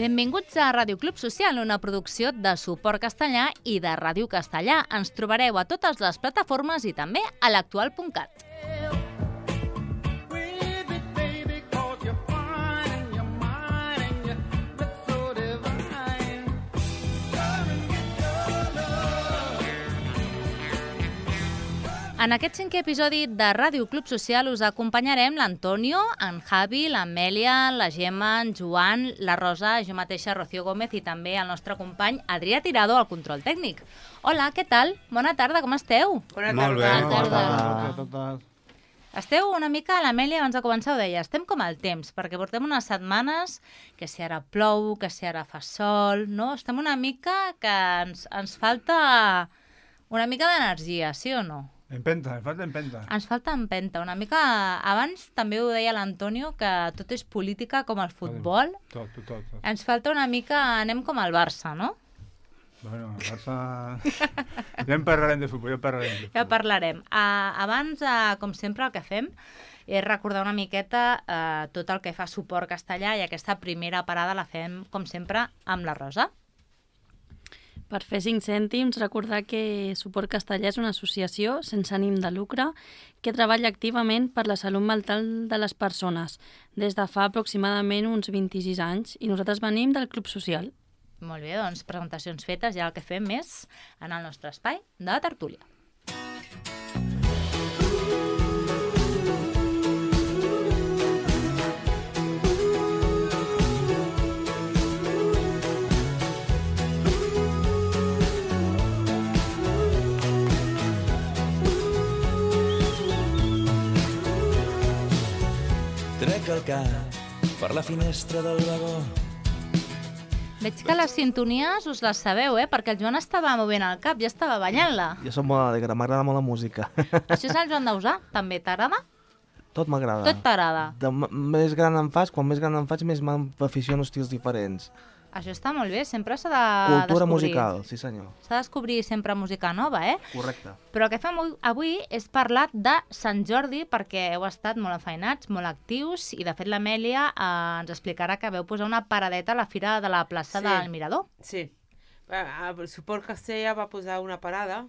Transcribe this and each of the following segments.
Benvinguts a Ràdio Club Social, una producció de Suport Castellà i de Ràdio Castellà. Ens trobareu a totes les plataformes i també a l'actual.cat. En aquest 5è episodi de Ràdio Club Social us acompanyarem l'Antonio, en Javi, l'Amèlia, la Gemma, en Joan, la Rosa, jo mateixa, Rocío Gómez i també el nostre company Adrià Tirado al control tècnic. Hola, què tal? Bona tarda, com esteu? Molt bé, bona tarda. Esteu una mica, l'Amèlia abans de començar ho deia, estem com al temps, perquè portem unes setmanes que si ara plou, que si ara fa sol, no? Estem una mica que ens falta una mica d'energia, sí o no? Empenta, ens falta empenta. Ens falta empenta, una mica... Abans també ho deia l'Antonio, que tot és política com el futbol. Tot. Ens falta una mica... Anem com al Barça, no? Bueno, el Barça... Ja en parlarem de futbol, Ja parlarem. Abans, com sempre, el que fem és recordar una miqueta tot el que fa Suport Castellà i aquesta primera parada la fem, com sempre, amb la Rosa. Per fer 5 cèntims, recordar que Suport Castellà és una associació sense ànim de lucre que treballa activament per la salut mental de les persones des de fa aproximadament uns 26 anys i nosaltres venim del Club Social. Molt bé, doncs presentacions fetes, ja el que fem és anar al nostre espai de tertúlia. Trec el cap per la finestra del vagó. Veig que les sintonies us les sabeu, perquè el Joan estava movent el cap, ja estava ballant-la. Jo soc molt alegre, m'agrada molt la música. Això és el Joan Dausà, també t'agrada? Tot m'agrada. Tot t'agrada. Més gran em fas, quan més gran em faig, més m'aficiono a estils diferents. Això està molt bé, sempre s'ha de Cultura descobrir. musical, sí senyor. S'ha de descobrir sempre música nova, Correcte. Però el que fem avui és parlar de Sant Jordi, perquè heu estat molt afeinats, molt actius, i de fet l'Amèlia ens explicarà que veu posar una paradeta a la fira de la plaça del Mirador. Sí. El Suport Castellà va posar una parada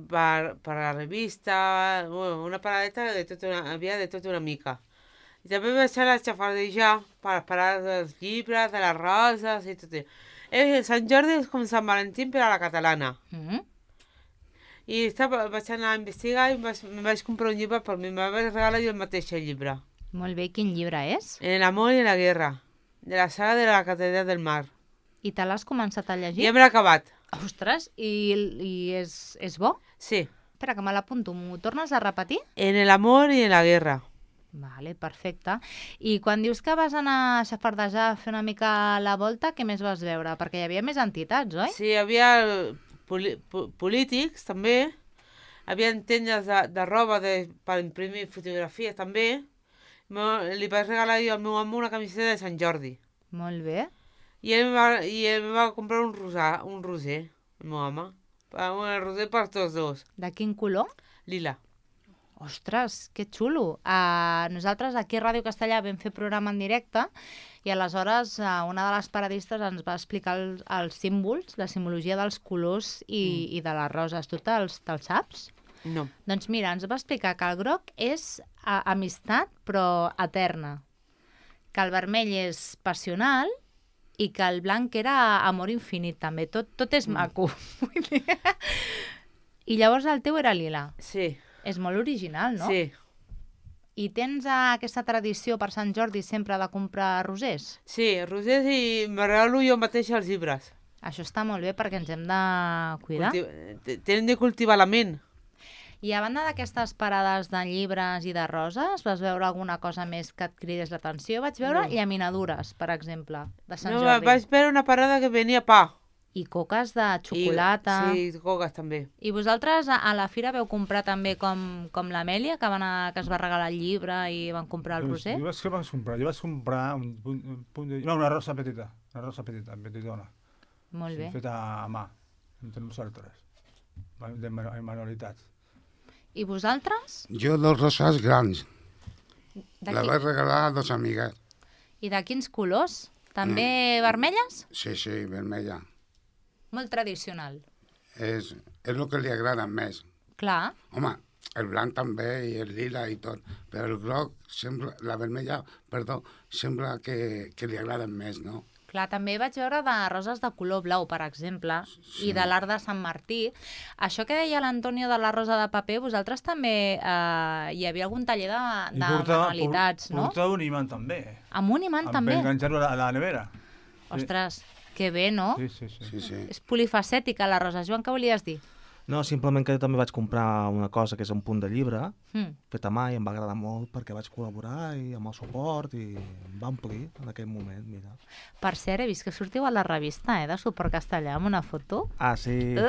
per la revista, una paradeta havia de tot una mica. I també vaig a la xafardejar per parar dels llibres, de les roses i tot. Sant Jordi és com Sant Valentí per a la catalana. I vaig anar a investigar i em vaig comprar un llibre per mi. Em vaig regalar jo el mateix llibre. Molt bé, quin llibre és? En el amor y en la guerra, de la saga de la Catedral del Mar. I te l'has començat a llegir? Ja me l'he acabat. Ostres, i és bo? Sí. Espera, que me l'apunto. M'ho tornes a repetir? En el amor y en la guerra. Vale, perfecte. I quan dius que vas anar a xafardejar a fer una mica la volta, què més vas veure? Perquè hi havia més entitats, oi? Sí, hi havia polítics, també. Hi havia tendes de roba per imprimir fotografies, també. Li vaig regalar jo al meu amo una camiseta de Sant Jordi. Molt bé. I ell em va comprar un roser, el meu home. Un roser per tots dos. De quin color? Lila. Ostres, que xulo. Nosaltres aquí a Ràdio Castellà vam fer programa en directe i aleshores una de les paradistes ens va explicar els símbols, la simbologia dels colors i de les roses. Tu te'ls saps? No. Doncs mira, ens va explicar que el groc és amistat però eterna, que el vermell és passional i que el blanc era amor infinit també. Tot és maco. I llavors el teu era lila. Sí. És molt original, no? Sí. I tens aquesta tradició per Sant Jordi sempre de comprar rosers? Sí, rosers i me regalo jo mateix els llibres. Això està molt bé perquè ens hem de cuidar. Tenen de cultivar la ment. I a banda d'aquestes parades de llibres i de roses, vas veure alguna cosa més que et cridés l'atenció? Vaig veure llaminadures, per exemple, de Sant Jordi. No, vaig veure una parada que venia pa. I coques de xocolata. Sí, coques també. I vosaltres a la fira veu comprar també com l'Amèlia, que es va regalar el llibre i van comprar el roser? Jo vaig comprar una rosa petita, petitona. Molt bé. Feta a mà, entre nosaltres, de manualitats. I vosaltres? Jo dos roses grans. De La vaig regalar a dos amigues. I de quins colors? També vermelles? Sí, vermella. Molt tradicional. És el que li agrada més. Clar. Home, el blanc també i el lila i tot, però el groc, la vermella, sembla que li agraden més, no? Clar, també vaig veure de roses de color blau, per exemple, i de l'art de Sant Martí. Això que deia l'Antonio de la rosa de paper, vosaltres també hi havia algun taller de manualitats, no? Portava un imant també. Amb un imant també? Amb enganxar-ho a la nevera. Ostres, que bé, no? Sí. És polifacètica la rosa. Joan, què volies dir? No, simplement que jo també vaig comprar una cosa que és un punt de llibre, fet a mà, i em va agradar molt perquè vaig col·laborar i amb el suport i em va omplir en aquell moment, mira. Per cert, he vist que sortiu a la revista de Suport Castellà amb una foto. Ah, sí.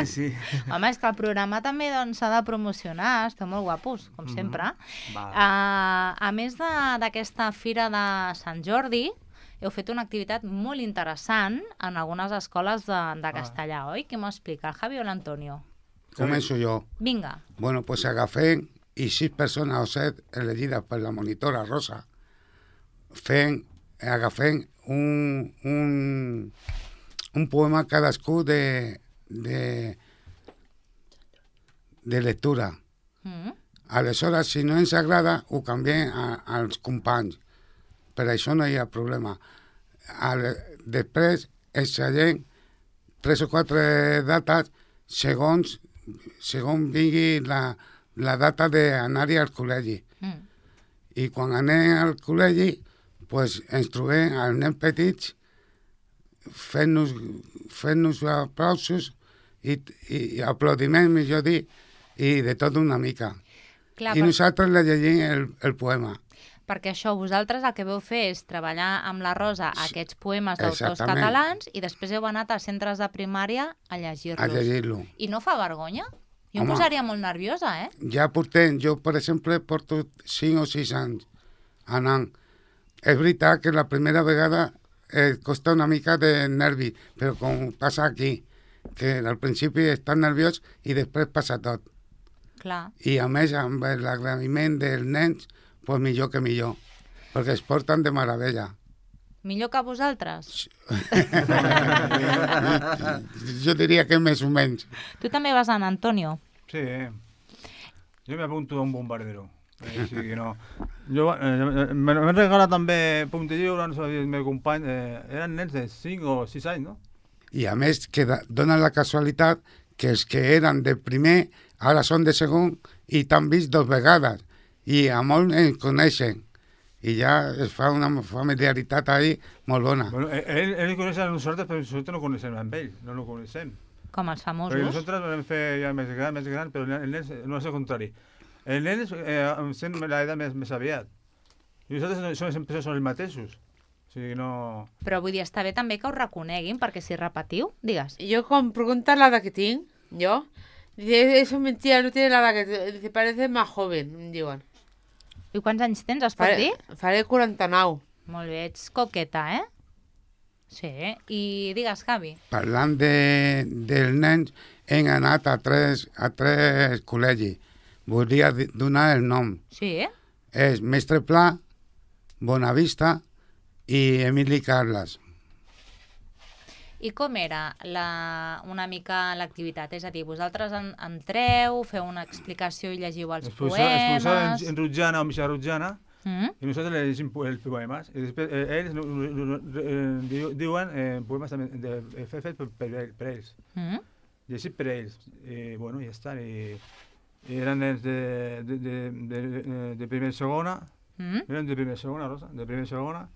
Sí. Home, és que el programa també s'ha de promocionar, esteu molt guapos, com sempre. A més d'aquesta fira de Sant Jordi, heu fet una activitat molt interessant en algunes escoles de castellà, oi? Qui m'ho explica, el Javi o l'Antonio? Començo jo. Vinga. Bueno, pues agafem, i 6 persones o 7 elegides per la monitora Rosa, agafem un poema cadascú de lectura. Aleshores, si no ens agrada, ho canviem als companys. Per això no hi ha problema. Després extraiem 3 o 4 dates segons vingui la data d'anar-hi al col·legi. I quan anem al col·legi, pues, ens trobem els nens petits fent-nos aplausos i aplaudiments, millor dir, i de tot una mica. Clar, I nosaltres le llegim el poema. Perquè això, vosaltres el que veu fer és treballar amb la Rosa aquests poemes d'autors catalans i després heu anat als centres de primària a llegir-los. A llegir-lo. I no fa vergonya? Jo em posaria molt nerviosa, eh? Ja portem, jo per exemple porto 5 o 6 anys anant. És veritat que la primera vegada costa una mica de nervi, però com passa aquí, que al principi estàs nerviós i després passa tot. Clar. I a més, amb l'agraïment dels nens, pues millor que millor, perquè es porten de meravella. Millor que vosaltres? Jo diria que més o menys. Tu també vas anar, Antonio? Sí, jo m'apunto a un bombardero. O sigui, no. M'han regalat també puntillo, no sé, el meu company, eren nens de 5 o 6 anys, no? I a més, que dona la casualitat que els que eren de primer ara són de segon i t'han vist 2 vegades. I a molt ens coneixen. I ja es fa una familiaritat ahí molt bona. Bueno, ells coneixen a nosaltres, però nosaltres no coneixem amb ells, no el coneixem. Com els famosos. Perquè nosaltres vam fer ja més gran, però el nen no és el contrari. El nen sent l'edat més aviat. I nosaltres sempre som els mateixos. O sigui, no... Però vull dir, està bé també que us reconeguin, perquè si repetiu, digues. Jo com pregunta l'edat que tinc, jo, dice, eso es mentira, no tiene la edad que... Dice, parece más joven, em diuen. I quants anys tens, es pot dir? Faré 49. Molt bé, ets coqueta, eh? Sí, i digues, Javi. Parlant dels nens, hem anat a tres col·legis. Voldria donar el nom. Sí? És Mestre Pla, Bonavista i Emili Carles. I com era una mica l'activitat? És a dir, vosaltres entreu, feu una explicació i llegiu els poemes... Expulsar en Rutjana o Misha Rutjana i nosaltres llegim els poemes. I després ells diuen poemes també fets per ells. Llegit per ells. I bueno, ja està. I eren nens de primera i segona. Eren de primera i segona, Rosa? De primera i segona.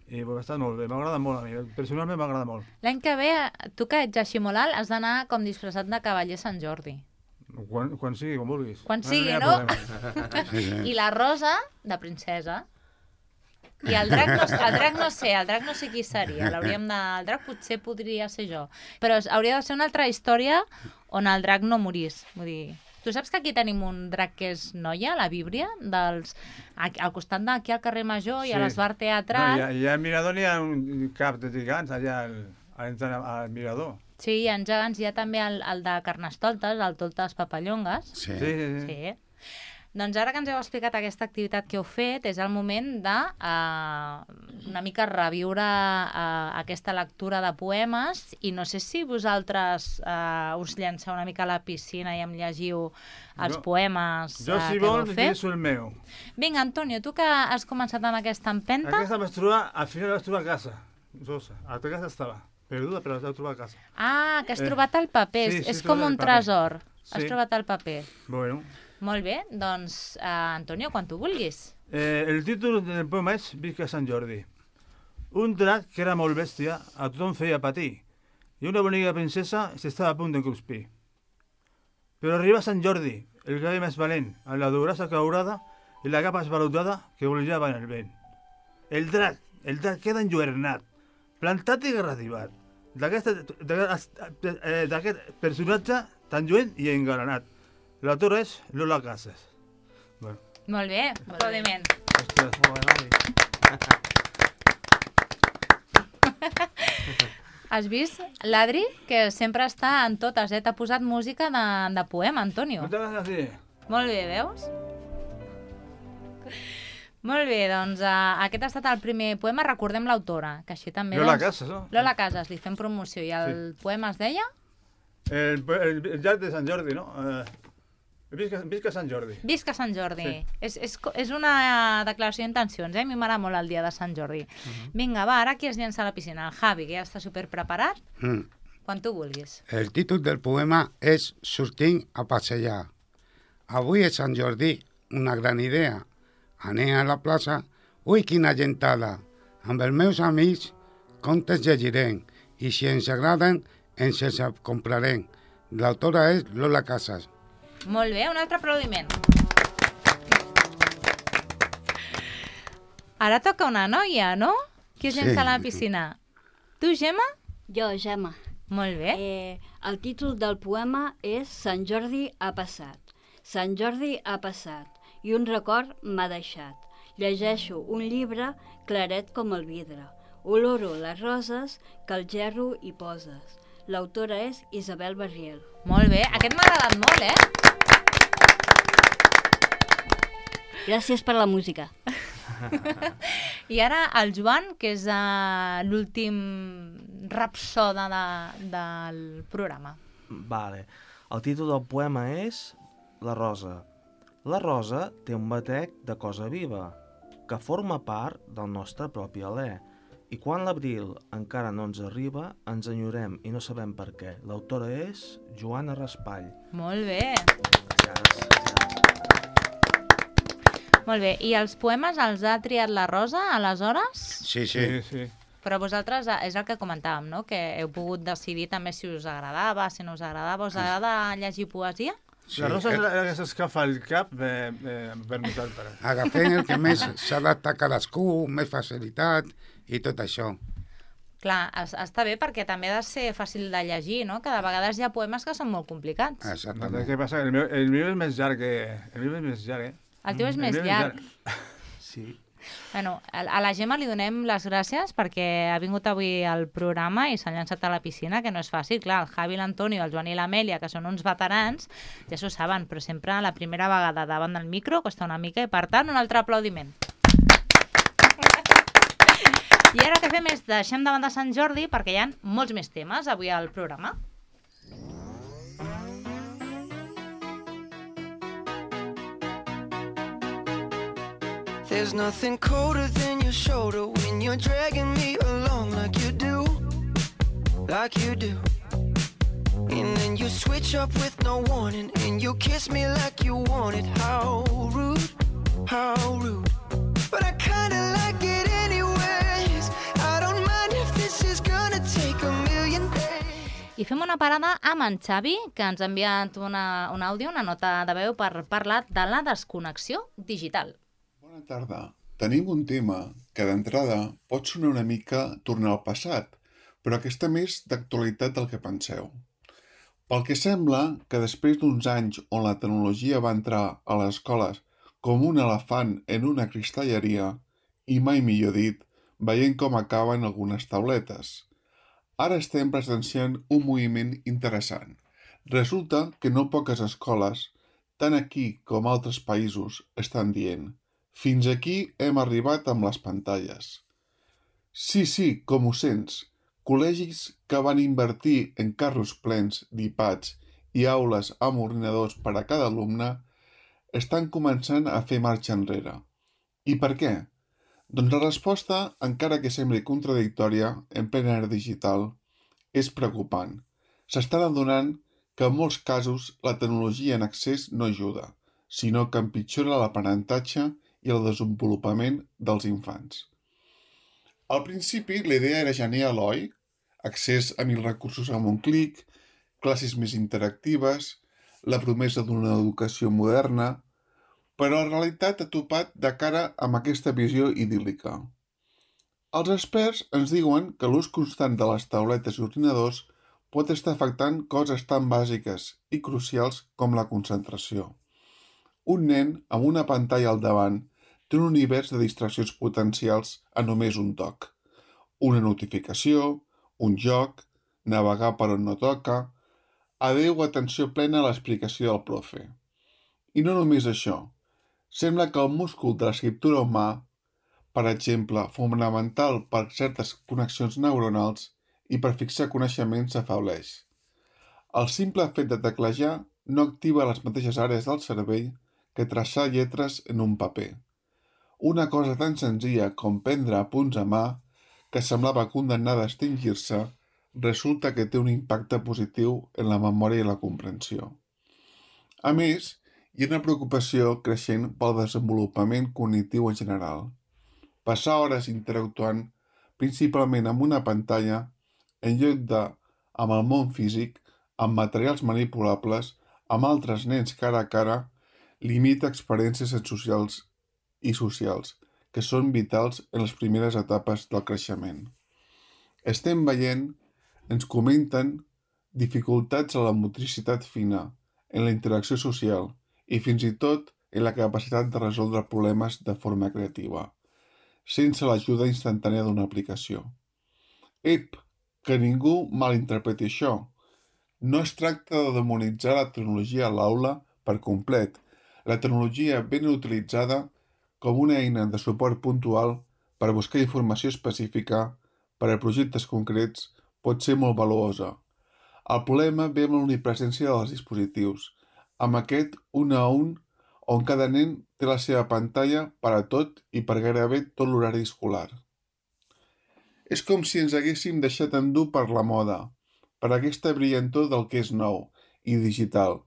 I va estar molt bé, m'agrada molt a mi, personalment m'agrada molt. L'any que ve, tu que ets així molt alt, has d'anar com disfressat de cavaller Sant Jordi. Quan sigui, com vulguis. Quan sigui, no? I la Rosa, de princesa. I el drac no sé qui seria. El drac potser podria ser jo. Però hauria de ser una altra història on el drac no morís. Vull dir... Tu saps que aquí tenim un drac que és noia, la Víbria, al costat d'aquí al carrer Major i a l'Esbar Teatral. No, i al Mirador hi ha un cap de gegants allà al Mirador. Sí, hi ha gegants, hi ha també el de Carnestoltes, el Toltes Papallongues. Sí. Sí. Doncs ara que ens heu explicat aquesta activitat que heu fet, és el moment de una mica reviure aquesta lectura de poemes i no sé si vosaltres us llanceu una mica a la piscina i em llegiu els poemes jo, si que vau vols, fer. llegeixo el meu. Vinga, Antonio, tu que has començat amb aquesta empenta. Aquesta vaig trobar, al final la vaig trobar a casa. Rosa, a la casa estava perduda, però la vaig trobar a casa. Ah, que has trobat el paper. Sí, és com un tresor. Sí. Has trobat el paper. Bueno. Molt bé, doncs, Antonio, quan tu vulguis. El títol del poema és Visca Sant Jordi. Un drac que era molt bèstia, a tothom feia patir, i una bonica princesa s'estava a punt d'encruspir. Però arriba Sant Jordi, el cavall més valent, amb la durassa caurada i la capa esvalutada que volejava en el vent. El drac queda enlluernat, plantat i garrativat, d'aquest personatge tan lluent i engalanat. L'autora és Lola Casas. Bueno. Molt bé, aplaudiment. Ostres, Molt bé, Has vist l'Adri, que sempre està en totes, T'ha posat música de poema, Antonio. no t'hagas así. Molt bé, veus? Molt bé, doncs aquest ha estat el primer poema. Recordem l'autora, que així també... Lola Casas, no? Lola Casas, li fem promoció. I el poema es deia? El llac de Sant Jordi, no? Visca Sant Jordi. Visca Sant Jordi. Sí. És una declaració d'intencions, A mi m'agrada molt el dia de Sant Jordi. Vinga, va, ara qui es llença a la piscina? El Javi, que ja està superpreparat. Quan tu vulguis. El títol del poema és Sortint a passejar. Avui és Sant Jordi, una gran idea. Anem a la plaça, ui, quina gentada. Amb els meus amics, contes llegirem, i si ens agraden, ens els comprarem. L'autora és Lola Casas. Molt bé, un altre aplaudiment. Ara toca una noia, no? Qui es llença a la piscina? Tu, Gemma? Jo, Gemma. Molt bé. El títol del poema és Sant Jordi ha passat. Sant Jordi ha passat i un record m'ha deixat. Llegeixo un llibre claret com el vidre. Oloro les roses que al gerro hi poses. L'autora és Isabel Barriel. Molt bé, aquest m'ha agradat molt, Gràcies per la música. I ara el Joan, que és l'últim rapsoda del programa. Vale. El títol del poema és La Rosa. La rosa té un batec de cosa viva, que forma part del nostre propi alè. I quan l'abril encara no ens arriba, ens enyorem i no sabem per què. L'autora és Joana Raspall. Molt bé. Gràcies. Molt bé. I els poemes els ha triat la Rosa, aleshores? Sí. Però vosaltres, és el que comentàvem, no? Que heu pogut decidir també si us agradava, si no us agradava. Us agrada llegir poesia? Sí, la Rosa és la que s'escafa el cap per nosaltres. Agafem el que més s'adapta a cadascú, més facilitat i tot això. Clar, està bé perquè també ha de ser fàcil de llegir, no? Que de vegades hi ha poemes que són molt complicats. Exactament. Què passa? El meu és més llarg, El teu és més llarg. Sí. Bueno, a la Gemma li donem les gràcies perquè ha vingut avui al programa i s'ha llançat a la piscina, que no és fàcil. Clar, el Javi, l'Antonio, el Joan i l'Amèlia, que són uns veterans, ja s'ho saben, però sempre la primera vegada davant del micro costa una mica i, per tant, un altre aplaudiment. I ara el que fem és deixem davant de Sant Jordi perquè hi ha molts més temes avui al programa. There's nothing colder than your shoulder when you're dragging me along like you do. And then you switch up with no warning and you kiss me like you want it. How rude. But I kinda like it anyways. I don't mind if this is gonna take a million days. I fem una parada amb en Xavi, que ens ha enviat un àudio, una nota de veu per parlar de la desconnexió digital. Bona tarda. Tenim un tema que d'entrada pot sonar una mica tornar al passat, però que està més d'actualitat del que penseu. Pel que sembla que després d'uns anys on la tecnologia va entrar a les escoles com un elefant en una cristalleria, i mai millor dit, veient com acaben algunes tauletes. Ara estem presenciant un moviment interessant. Resulta que no poques escoles tant aquí com altres països, estan dient «Fins aquí hem arribat amb les pantalles». Sí, com ho sents, col·legis que van invertir en carros plens d'iPads i aules amb ordinadors per a cada alumne estan començant a fer marxa enrere. I per què? Doncs la resposta, encara que sembli contradictòria en plena era digital, és preocupant. S'estan adonant que en molts casos la tecnologia en accés no ajuda, sinó que empitjora l'aprenentatge i el desenvolupament dels infants. Al principi, la idea era genial, oi? Accés a 1000 recursos amb un clic, classes més interactives, la promesa d'una educació moderna, però la realitat ha topat de cara amb aquesta visió idíl·lica. Els experts ens diuen que l'ús constant de les tauletes i ordinadors pot estar afectant coses tan bàsiques i crucials com la concentració. Un nen amb una pantalla al davant té un univers de distraccions potencials a només un toc. Una notificació, un joc, navegar per on no toca, adeu atenció plena a l'explicació del profe. I no només això. Sembla que el múscul de l'escriptura humà, per exemple, fonamental per certes connexions neuronals i per fixar coneixements, s'afebleix. El simple fet de teclejar no activa les mateixes àrees del cervell que traçar lletres en un paper. Una cosa tan senzilla com prendre apunts a mà, que semblava condemnada a extingir-se, resulta que té un impacte positiu en la memòria i la comprensió. A més, hi ha una preocupació creixent pel desenvolupament cognitiu en general. Passar hores interactuant principalment amb una pantalla en lloc de amb el món físic, amb materials manipulables, amb altres nens cara a cara, limita experiències sensorials i socials, que són vitals en les primeres etapes del creixement. Estem veient, ens comenten, dificultats a la motricitat fina, en la interacció social i fins i tot en la capacitat de resoldre problemes de forma creativa, sense l'ajuda instantània d'una aplicació. Ep, que ningú malinterpreti això. No es tracta de demonitzar la tecnologia a l'aula per complet. La tecnologia ben utilitzada com una eina de suport puntual per buscar informació específica per a projectes concrets pot ser molt valuosa. El problema ve amb l'omnipresència dels dispositius, amb aquest un a un on cada nen té la seva pantalla per a tot i per gairebé tot l'horari escolar. És com si ens haguéssim deixat endur per la moda, per aquesta brillantor del que és nou i digital,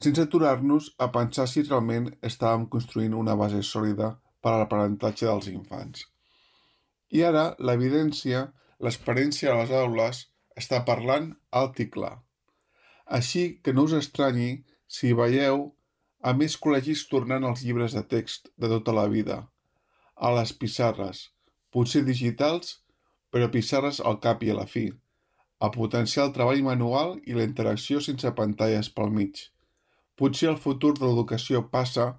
sense aturar-nos a pensar si realment estàvem construint una base sòlida per a l'aprenentatge dels infants. I ara l'evidència, l'experiència a les aules, està parlant alt i clar. Així que no us estranyi si veieu a més col·legis tornant als llibres de text de tota la vida, a les pissarres, potser digitals, però pissarres al cap i a la fi, a potenciar el treball manual i la interacció sense pantalles pel mig. Potser el futur de l'educació passa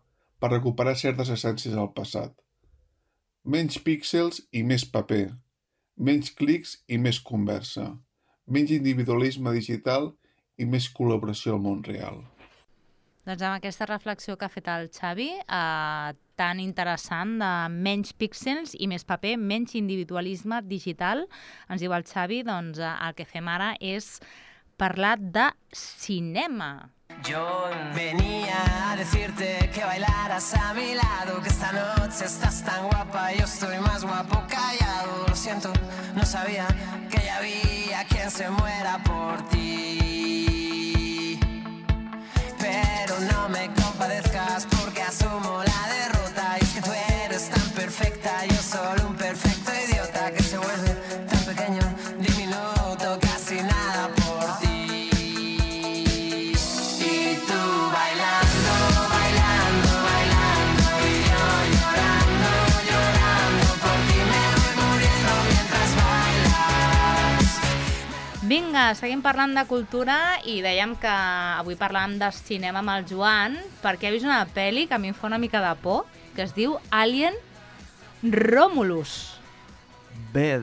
per recuperar certes essències del passat. Menys píxels i més paper, menys clics i més conversa, menys individualisme digital i més col·laboració al món real. Doncs amb aquesta reflexió que ha fet el Xavi, tan interessant, de menys píxels i més paper, menys individualisme digital, ens diu el Xavi, doncs el que fem ara és parlar de cinema. Yo venía a decirte que bailaras a mi lado, que esta noche estás tan guapa, yo estoy más guapo callado. Lo siento, no sabía que ya había quien se muera por ti. Pero no me compadezcas porque asumo la derrota. Y es que tú eres tan perfecta, yo solo un perfecto idiota que se vuelve tan pequeño, diminuto, casi nada por ti. Vinga, seguim parlant de cultura i dèiem que avui parlàvem de cinema amb el Joan perquè he vist una pel·li que a mi em fa una mica de por, que es diu Alien Romulus. Bé,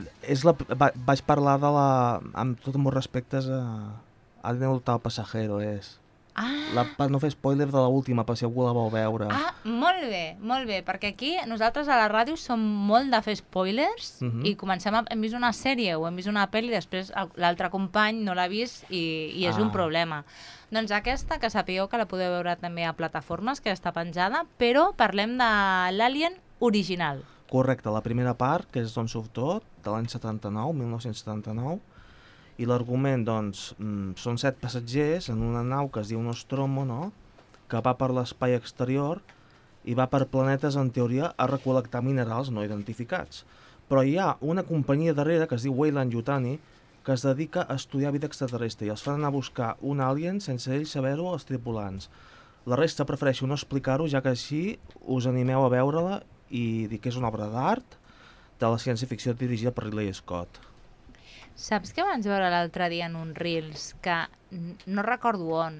vaig parlar de la... amb tots els meus respectes a Alien el Pasajero, és... Per no fer spoiler de l'última, per si algú la vol veure. Molt bé, perquè aquí nosaltres a la ràdio som molt de fer spoilers i hem vist una sèrie o hem vist una pel·li i després l'altre company no l'ha vist i és un problema. Doncs aquesta, que sapigueu que la podeu veure també a plataformes, que està penjada, però parlem de l'Alien original. Correcte, la primera part, que és d'on surt tot, de l'any 1979, i l'argument, doncs, són 7 passatgers en una nau que es diu Nostromo, no?, que va per l'espai exterior i va per planetes, en teoria, a recol·lectar minerals no identificats. Però hi ha una companyia darrere, que es diu Weyland-Yutani, que es dedica a estudiar vida extraterrestre i els fan anar a buscar un alien sense ells saber-ho els tripulants. La resta prefereixo no explicar-ho, ja que així us animeu a veure-la i dir que és una obra d'art de la ciència-ficció dirigida per Ridley Scott. Saps que vaig veure l'altre dia en un Reels que no recordo on,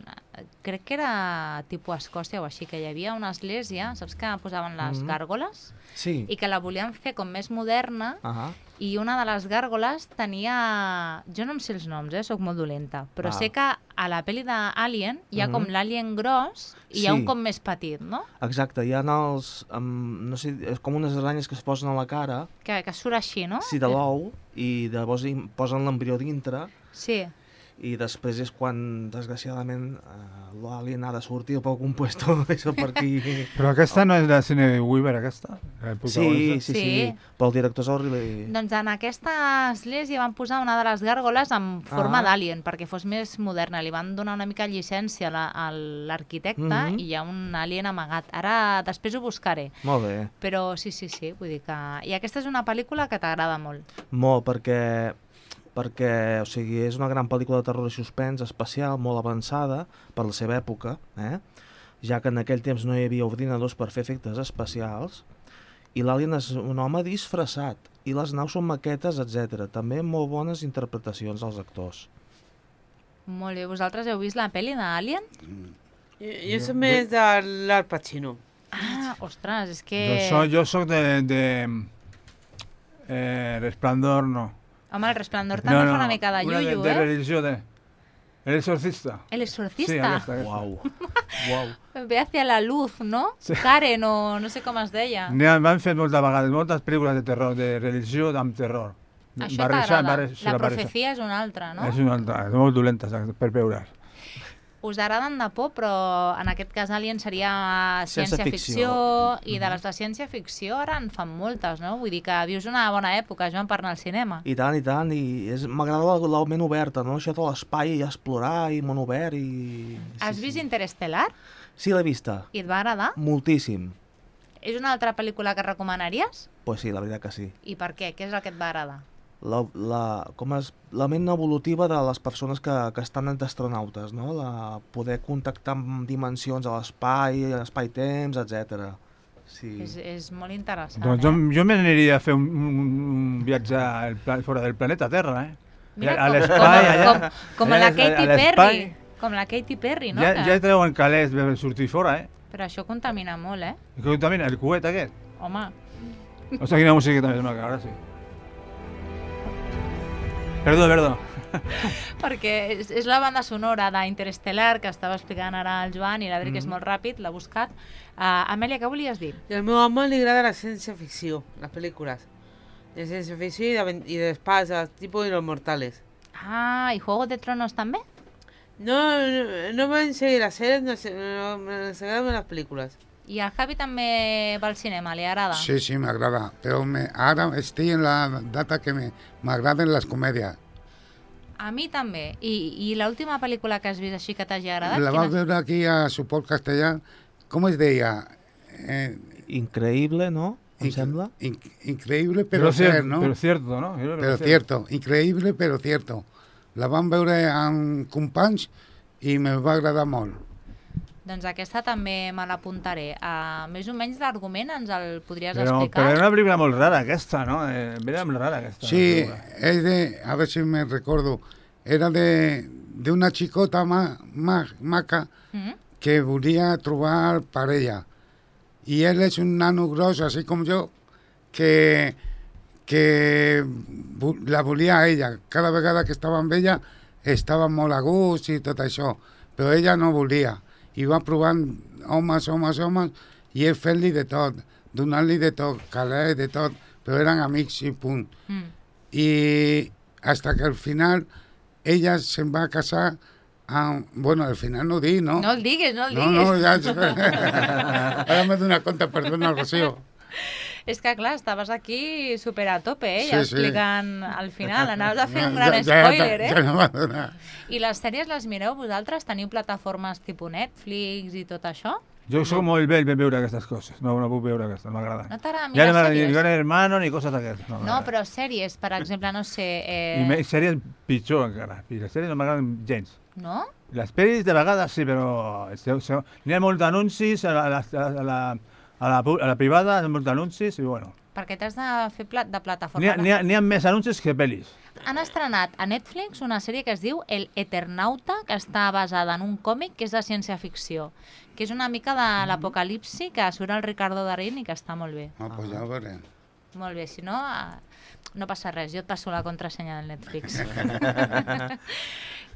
crec que era tipus Escòcia o així, que hi havia una església, saps que posaven les gàrgoles? Sí. I que la volien fer com més moderna i una de les gàrgoles tenia... Jo no em sé els noms, soc molt dolenta, però sé que a la pel·li d'Alien hi ha com l'Alien gros i hi ha un com més petit, no? Exacte, hi ha els... no sé, és com unes aranyes que es posen a la cara. Que surt així, no? Sí, de l'ou, i llavors posen l'embrió dintre. Sí. I després és quan, desgraciadament, l'alien ha de sortir pel compuesto, això per aquí... Però aquesta no és de Cine Weaver, aquesta? Sí, però el director és el Ridley... Doncs en aquesta església van posar una de les gàrgoles en forma d'alien, perquè fos més moderna. Li van donar una mica llicència a l'arquitecte i hi ha un alien amagat. Ara, després ho buscaré. Molt bé. Però sí, vull dir que... I aquesta és una pel·lícula que t'agrada molt. Molt, perquè, o sigui, és una gran pel·lícula de terror i suspens espacial, molt avançada per la seva època, ja que en aquell temps no hi havia ordinadors per fer efectes especials, i l'alien és un home disfressat, i les naus són maquetes, etc. També molt bones interpretacions dels actors. Molt bé. Vosaltres heu vist la pel·li d'Alien? Jo soc més de l'Al Pacino. Ostres, és que... Jo soc de Resplandor, no. Home, el Resplandor també fa una mica de llullo, de religió, El Exorcista. El Exorcista? Sí, aquesta. Uau. Ve hacia la luz, no? Sí. Karen, o no sé com es deia. M'han fet moltes vegades, moltes pel·lícules de terror, de religió amb terror. Això t'agrada? La profecia és una altra, no? És una altra, és molt dolenta per veure. Us agraden de por, però en aquest cas Alien seria ciència-ficció, i de les de ciència-ficció ara en fan moltes, no? Vull dir que vius una bona època, Joan, per anar al cinema. I tant, i m'agrada la ment oberta, no? Això de l'espai i explorar i món obert i... Has vist Interestelar? Sí, l'he vista. I et va agradar? Moltíssim. És una altra pel·lícula que recomanaries? Pues sí, la veritat que sí. I per què? Què és el que et va agradar? La ment evolutiva de les persones que estan entre astronautes, no? Poder contactar amb dimensions a l'espai, espai-temps, etc. Sí. És molt interessant. Doncs jo m'aniria a fer un viatge fora del planeta Terra, Mira, a l'espai, allà. Com la Katy Perry. Com la Katy Perry, no? Ja treuen calés per sortir fora, Però això contamina molt, Què contamina? El coet aquest? Home. Ostres, quina música també és maca, ara sí. Perdó. Perquè és la banda sonora d'Interestelar que estava explicant ara el Joan i la veritat que és molt ràpid, l'ha buscat. Amèlia, què volies dir? I al meu home li agrada la ciència-ficció, les pel·lícules. De ciència-ficció i d'espasa, tipus de Los Mortales. ¿Y Juego de Tronos també? No van seguir les sèries, nos agraden les pel·lícules. I el Javi també va al cinema, li agrada? Sí, m'agrada, però ara estic en la data que m'agraden les comèdies. A mi també. I l'última pel·lícula que has vist així que t'hagi agradat? La vas veure aquí a Suport Castellà, com es deia? Increïble, no? Em sembla? Increïble, però cert, no? Però cierto, no? Però cierto, increïble, però cierto. La vam veure amb companys i me va agradar molt. Doncs aquesta també me l'apuntaré. Més o menys l'argument ens el podries explicar? Però era una pel·lícula molt rara aquesta, no? Era molt rara aquesta. Sí, és de, a ver si me recuerdo, era de una xicota maca que volia trobar parella. I ell és un nano gros, així com jo, que la volia a ella. Cada vegada que estava amb ella estava molt a gust i tot això. però ella no volia. I va provant homes, i ell fent-li de tot, donant-li de tot, calés, de tot, però eren amics i punt. I hasta que al final ella se'n va casar amb... Bueno, al final no ho dic, no? No el diguis. No, ja... Ara m'he donat compte, perdona, Rocío. És que, clar, estaves aquí super a tope, Sí, explicant al final. Anaves a fer un gran spoiler, Ja no va donar. I les sèries les mireu vosaltres? Teniu plataformes tipus Netflix i tot això? Jo soc molt vell per veure aquestes coses. No puc veure aquestes, no m'agrada. No t'agrada Ja mirar no m'agrada ni sèries? Gran Hermano ni coses d'aquestes. No, però sèries, per exemple, no sé... I sèries pitjor encara. I les sèries no m'agraden gens. No? Les pel·lis de vegades sí, però n'hi ha molts anuncis a la privada, hi ha molts anuncis i bueno. Perquè t'has de fer de plataforma. N'hi ha més anuncis que pel·lis. Han estrenat a Netflix una sèrie que es diu El Eternauta, que està basada en un còmic que és de ciència-ficció, que és una mica de l'apocalipsi, que surt el Ricardo Darín i que està molt bé. Pues ja ho veurem. Molt bé, si no, no passa res, jo et passo la contrasenya del Netflix.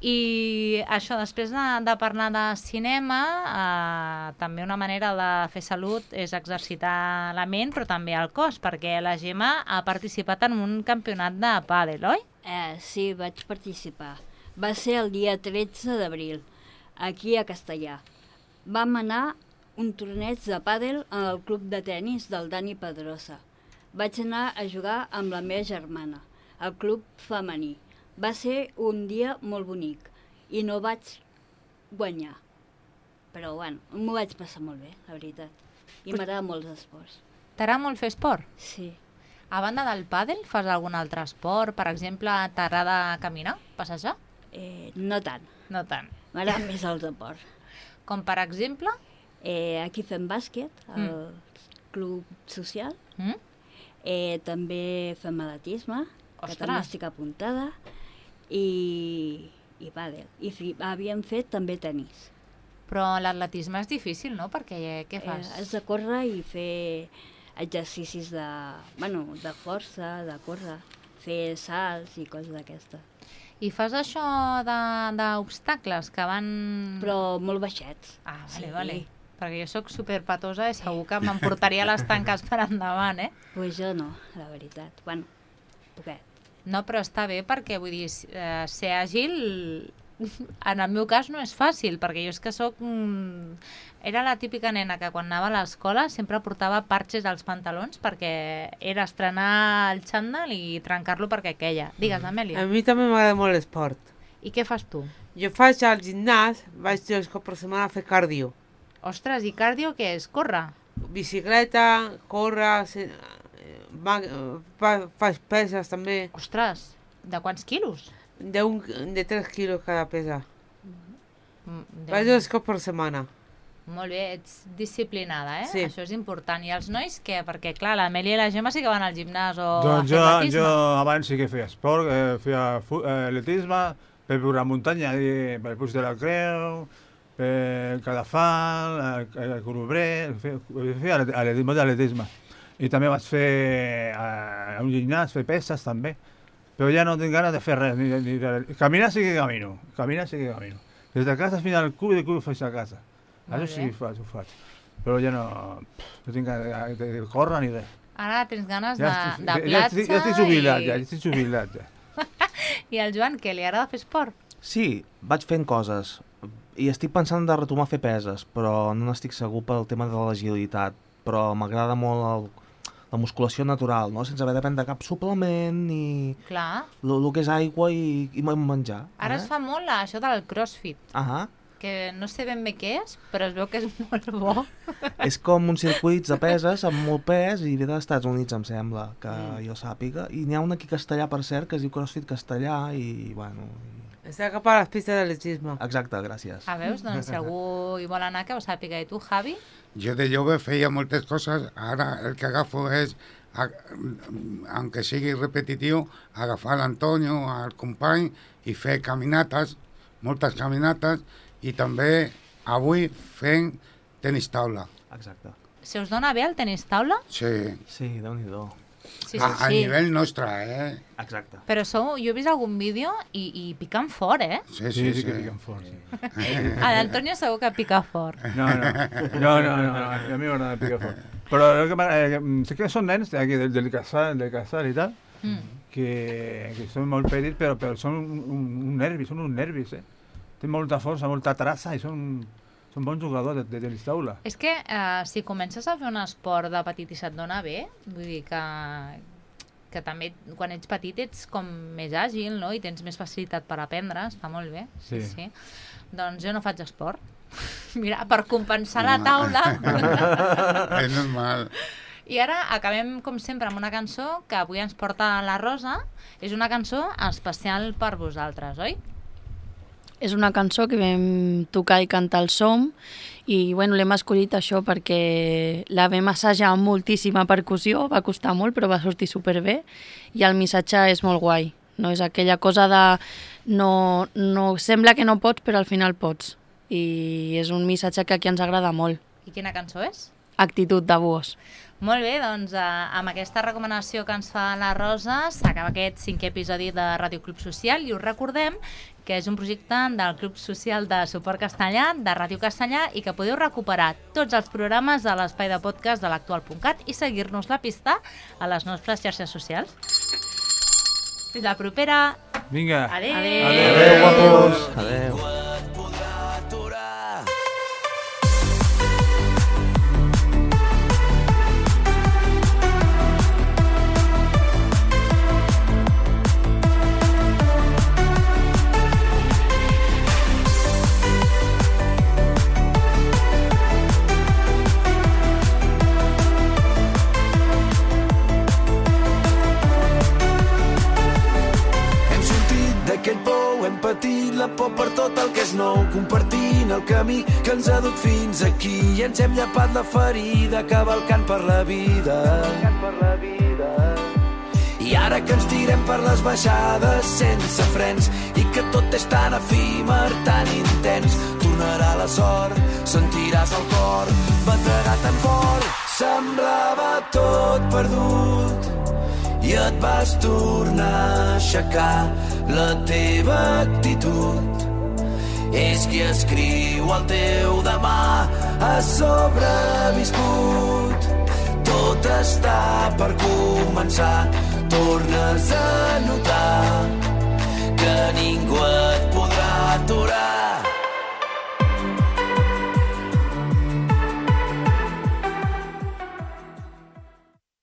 I això, després de parlar de cinema, també una manera de fer salut és exercitar la ment, però també el cos, perquè la Gemma ha participat en un campionat de pàdel, oi? Sí, vaig participar. Va ser el dia 13 d'abril, aquí a Castellà. Vam anar un torneig de pàdel al club de tennis del Dani Pedrosa. Vaig anar a jugar amb la meva germana, al club femení. Va ser un dia molt bonic i no vaig guanyar. Però, bueno, m'ho vaig passar molt bé, la veritat. I m'agrada molt els esports. T'agrada molt fer esport? Sí. A banda del pàdel, fas algun altre esport? Per exemple, t'agrada caminar, passejar? No tant. No tant. M'agrada més el deport. Com per exemple? Aquí fem bàsquet, al club social. També fem atletisme, que també estic apuntada, i pàdel. I havíem fet també tenis. Però l'atletisme és difícil, no? Perquè què fas? Has de córrer i fer exercicis de força, de córrer, fer salts i coses d'aquestes. I fas això d'obstacles que van... Però molt baixets. Ah, vale. Perquè jo sóc superpatosa i segur que m'emportaria les tanques per endavant, eh? Pues jo no, la veritat. Bueno, poquet. No, però està bé perquè, vull dir, ser àgil, en el meu cas no és fàcil, perquè jo és que soc... Era la típica nena que quan anava a l'escola sempre portava parxes als pantalons perquè era estrenar el xandall i trencar-lo perquè queia. Digues, Amèlia. A mi també m'agrada molt l'esport. I què fas tu? Jo faig al gimnàs, vaig 2 cops per setmana a fer cardio. Ostres, i cardio què és? Córrer? Bicicleta, córrer, faig peses també. Ostres, de quants quilos? De 3 quilos cada pesa. Vaig 2 cops per setmana. Molt bé, ets disciplinada, eh? Sí. Això és important. I els nois què? Perquè, clar, l'Amèlia i la Gemma sí que van al gimnàs o Doncs a fer atletisme. jo abans sí que feia esport, feia atletisme, per la muntanya, per el Puig de la Creu, per Cadafal, el Colobrer, feia atletisme. I també vaig fer a un gimnàs, fer peses també. Però ja no tinc ganes de fer res. Caminar sí que camino. Des de casa fins al club, de club faig a casa. Això sí que ho faig. Però ja no tinc ganes de córrer ni res. Ara tens ganes de platja ja estic jubilat. I el Joan, què? Li agrada fer esport? Sí, vaig fent coses. I estic pensant de retomar a fer peses, però no n'estic segur pel tema de l'agilitat. Però m'agrada molt la musculació natural, no? Sense haver de prendre cap suplement i... Clar. El que és aigua i menjar. Ara es fa molt això del crossfit. Ahà. Que no sé ben bé què és, però es veu que és molt bo. És com uns circuits de peses amb molt pes i ve dels Estats Units, em sembla, que jo sàpiga. I n'hi ha un aquí a Castellà, per cert, que es diu CrossFit Castellà i, bueno... Està cap a les pistes d'atletisme. Exacte, gràcies. Veus? Doncs si algú hi vol anar, que ho sàpiga. I tu, Javi? Jo de jove feia moltes coses, ara el que agafo és, aunque sigui repetitiu, agafar l'Antonio, el company, i fer caminates, moltes caminates, i també avui fent tenis taula. Exacte. Se us dona bé el tenis taula? Sí. Sí, Déu-n'hi-do. A nivell nostre, Exacte. Però jo he vist algun vídeo i piquen fort, Sí, que piquen fort, sí. A l'Antonio segur que pica fort. No, a mi m'agrada picar fort. Però sé que són nens del casal i tal, que són molt petits, però són uns nervis, Tenen molta força, molta traça i són bons jugadors de tenis taula. És que si comences a fer un esport de petit i se't dona bé, vull dir que també quan ets petit ets com més àgil, no? I tens més facilitat per aprendre, està molt bé. Sí. Doncs jo no faig esport. Mira, per compensar la taula. És normal. I ara acabem, com sempre, amb una cançó que avui ens porta la Rosa. És una cançó especial per vosaltres, oi? És una cançó que vam tocar i cantar al SOM i l'hem escollit això perquè la vam assajar amb moltíssima percussió, va costar molt però va sortir superbé i el missatge és molt guai, no és aquella cosa de no sembla que no pots però al final pots i és un missatge que aquí ens agrada molt. I quina cançó és? Actitud de Búhos. Molt bé, doncs amb aquesta recomanació que ens fa la Rosa s'acaba aquest 5è episodi de Ràdio Club Social i us recordem que és un projecte del Club Social de Suport Castellà, de Ràdio Castellà i que podeu recuperar tots els programes a l'espai de podcast de l'actual.cat i seguir-nos la pista a les nostres xarxes socials. Fins la propera! Vinga! Adéu! Adéu, guapos! Adéu! Hem patit la por per tot el que és nou, compartint el camí que ens ha dut fins aquí i ens hem llapat la ferida cavalcant per la vida. I ara que ens tirem per les baixades sense frens i que tot és tan efímer, tan intens, tornarà la sort, sentiràs el cor bategar tan fort. Semblava tot perdut i et vas tornar a aixecar. La teva actitud és qui escriu el teu demà. Has sobreviscut, tot està per començar. Tornes a notar que ningú et podrà aturar.